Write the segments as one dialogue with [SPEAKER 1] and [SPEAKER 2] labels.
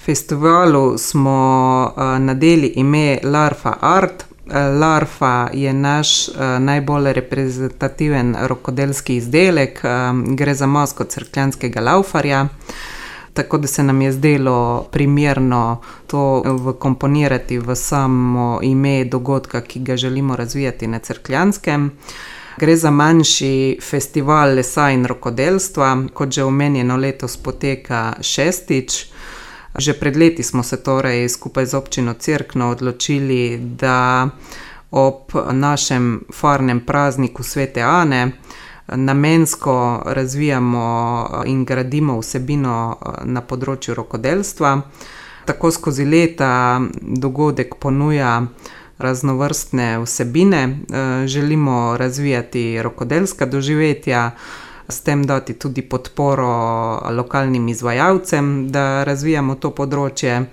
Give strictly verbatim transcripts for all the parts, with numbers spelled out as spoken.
[SPEAKER 1] Festivalu smo nadeli ime Larfa Art. Larfa je naš najbolj reprezentativen rokodelski izdelek, gre za masko Cerkljanskega laufarja, tako da se nam je zdelo primerno to vkomponirati v samo ime dogodka, ki ga želimo razvijati na Cerkljanskem. Gre za manjši festival lesa in rokodelstva, kot že omenjeno letos poteka šestič. Že pred leti smo se torej skupaj z občino Cerkno odločili, da ob našem farnem prazniku Svete Ane namensko razvijamo in gradimo vsebino na področju rokodelstva. Tako skozi leta dogodek ponuja raznovrstne vsebine, želimo razvijati rokodelska doživetja, s tem dati tudi podporo lokalnim izvajalcem, da razvijamo to področje.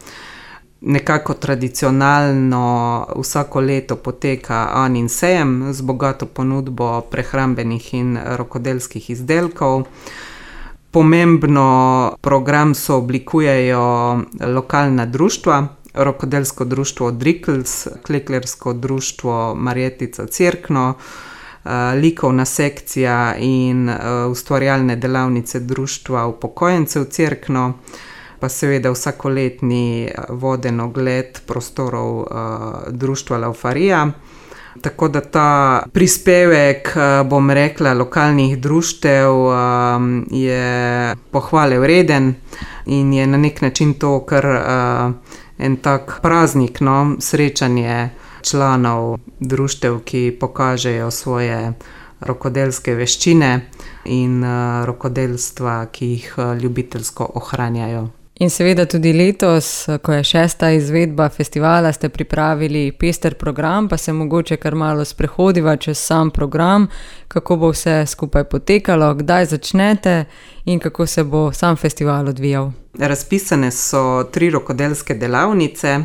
[SPEAKER 1] Nekako tradicionalno vsako leto poteka Anin sejem z bogato ponudbo prehrambenih in rokodelskih izdelkov. Pomembno program sooblikujejo lokalna društva, rokodelsko društvo Drikls, kleklersko društvo Marjetica Cerkno, likovna sekcija in ustvarjalne delavnice društva upokojencev Cerkno, pa seveda vsakoletni voden ogled prostorov društva Laufarija. Tako da ta prispevek, bom rekla, lokalnih društev je pohvale vreden in je na nek način to kar en tak praznik, no, srečanje članov društev, ki pokažejo svoje rokodelske veščine in rokodelstva, ki jih ljubiteljsko ohranjajo.
[SPEAKER 2] In seveda tudi letos, ko je šesta izvedba festivala, ste pripravili pester program, pa se mogoče kar malo sprehodiva čez sam program, kako bo vse skupaj potekalo, kdaj začnete in kako se bo sam festival odvijal.
[SPEAKER 1] Razpisane so tri rokodelske delavnice.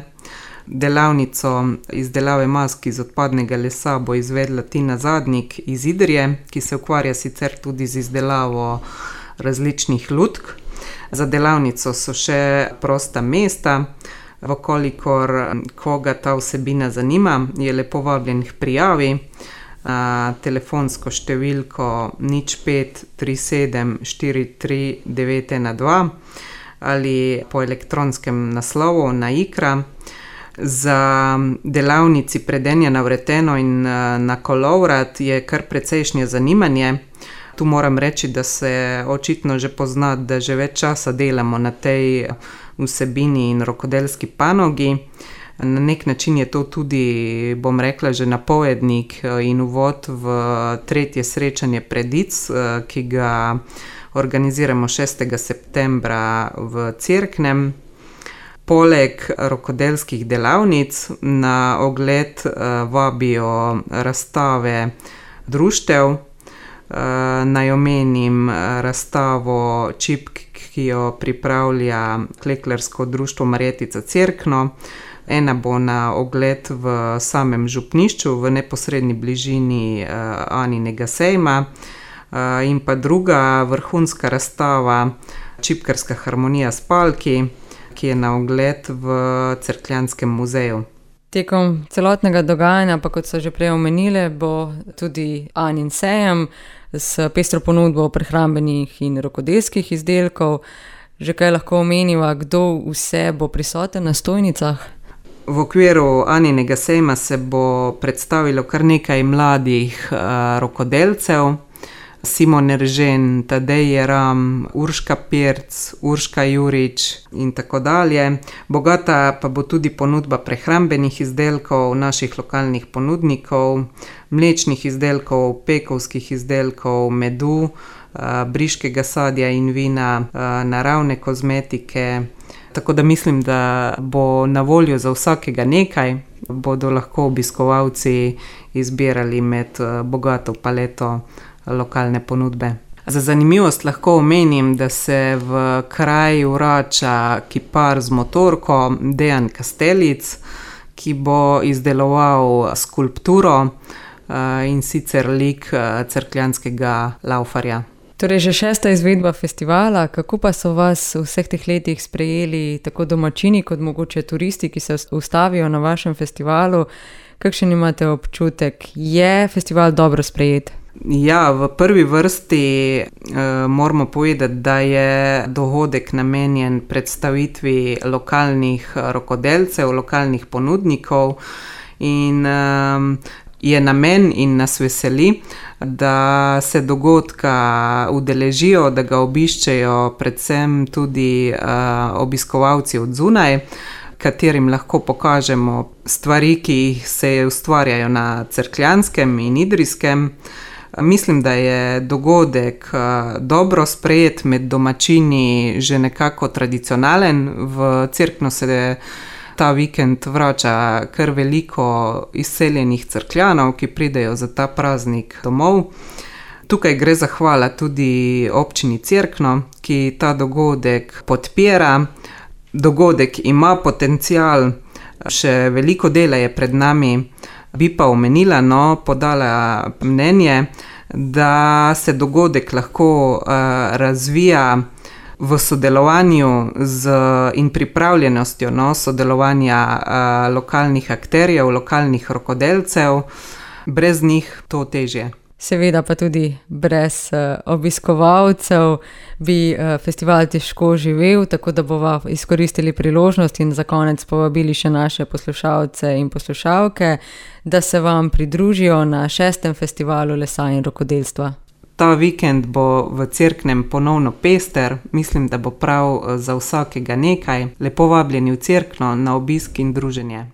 [SPEAKER 1] Delavnico izdelave mask iz odpadnega lesa bo izvedla Tina Zadnik iz Idrije, ki se ukvarja sicer tudi z izdelavo različnih lutk. Za delavnico so še prosta mesta, vkolikor koga ta vsebina zanima, je lepo vabljen k prijavi. Telefonsko številko nič pet tri sedem štiri tri devet ena dva ali po elektronskem naslovu na Ikra. Za delavnici predenja na vreteno in na kolovrat je kar precejšnje zanimanje. Tu moram reči, da se očitno že pozna, da že več časa delamo na tej vsebini in rokodelski panogi. Na nek način je to tudi, bom rekla, že napovednik in uvod v tretje srečanje Predic, ki ga organiziramo šestega septembra v Cerknem. Poleg rokodelskih delavnic na ogled vabijo razstave društev. Naj omenim razstavo čipk, ki jo pripravlja kleklersko društvo Marjetica Cerkno. Ena bo na ogled v samem župnišču, v neposredni bližini Aninega sejma, in pa druga vrhunska razstava Čipkarska harmonija Spalki, ki je na ogled v Cerkljanskem muzeju.
[SPEAKER 2] Tekom celotnega dogajanja, pa kot so že prej omenile, bo tudi Anin sejem s pestro ponudbo prehrambenih in rokodelskih izdelkov. Že kaj lahko omeniva, kdo vse bo prisoten na stojnicah?
[SPEAKER 1] V okviru Aninega sejma se bo predstavilo kar nekaj mladih rokodelcev. Simon Eržen, Tadej Jeram, Urška Pirc, Urška Jurič in tako dalje. Bogata pa bo tudi ponudba prehrambenih izdelkov naših lokalnih ponudnikov, mlečnih izdelkov, pekovskih izdelkov, medu, briškega sadja in vina, naravne kozmetike. Tako da mislim, da bo na voljo za vsakega nekaj, bodo lahko obiskovalci izbirali med bogato paleto lokalne ponudbe. Za zanimivost lahko omenim, da se v kraj vrača kipar z motorko Dejan Kastelic, ki bo izdeloval skulpturo in sicer lik Cerkljanskega laufarja.
[SPEAKER 2] Torej, že šesta izvedba festivala, kako pa so vas v vseh teh letih sprejeli tako domačini kot mogoče turisti, ki se ustavijo na vašem festivalu? Kakšen imate občutek? Je festival dobro sprejet?
[SPEAKER 1] Ja, v prvi vrsti eh, moramo povedati, da je dogodek namenjen predstavitvi lokalnih rokodelcev, lokalnih ponudnikov in eh, je namen in nas veseli, da se dogodka udeležijo, da ga obiščejo predvsem tudi uh, obiskovalci od zunaj, katerim lahko pokažemo stvari, ki se ustvarjajo na Cerkljanskem in Idrijskem. Mislim, da je dogodek uh, dobro sprejet, med domačini že nekako tradicionalen. V Cerkno se ta vikend vrača kar veliko izseljenih Cerkljanov, ki pridejo za ta praznik domov. Tukaj gre zahvala tudi občini Cerkno, ki ta dogodek podpira. Dogodek ima potencial, še veliko dela je pred nami. Bi pa omenila, no, podala mnenje, da se dogodek lahko uh, razvija v sodelovanju z in pripravljenostjo no, sodelovanja uh, lokalnih akterjev, lokalnih rokodelcev, brez njih to težje.
[SPEAKER 2] Seveda pa tudi brez uh, obiskovalcev bi uh, festival težko živel, tako da bova izkoristili priložnost in za konec povabili še naše poslušalce in poslušalke, da se vam pridružijo na šestem festivalu lesa in rokodelstva.
[SPEAKER 1] Ta vikend bo v Cerknem ponovno pester, mislim, da bo prav za vsakega nekaj. Lepo vabljeni v Cerkno na obisk in druženje.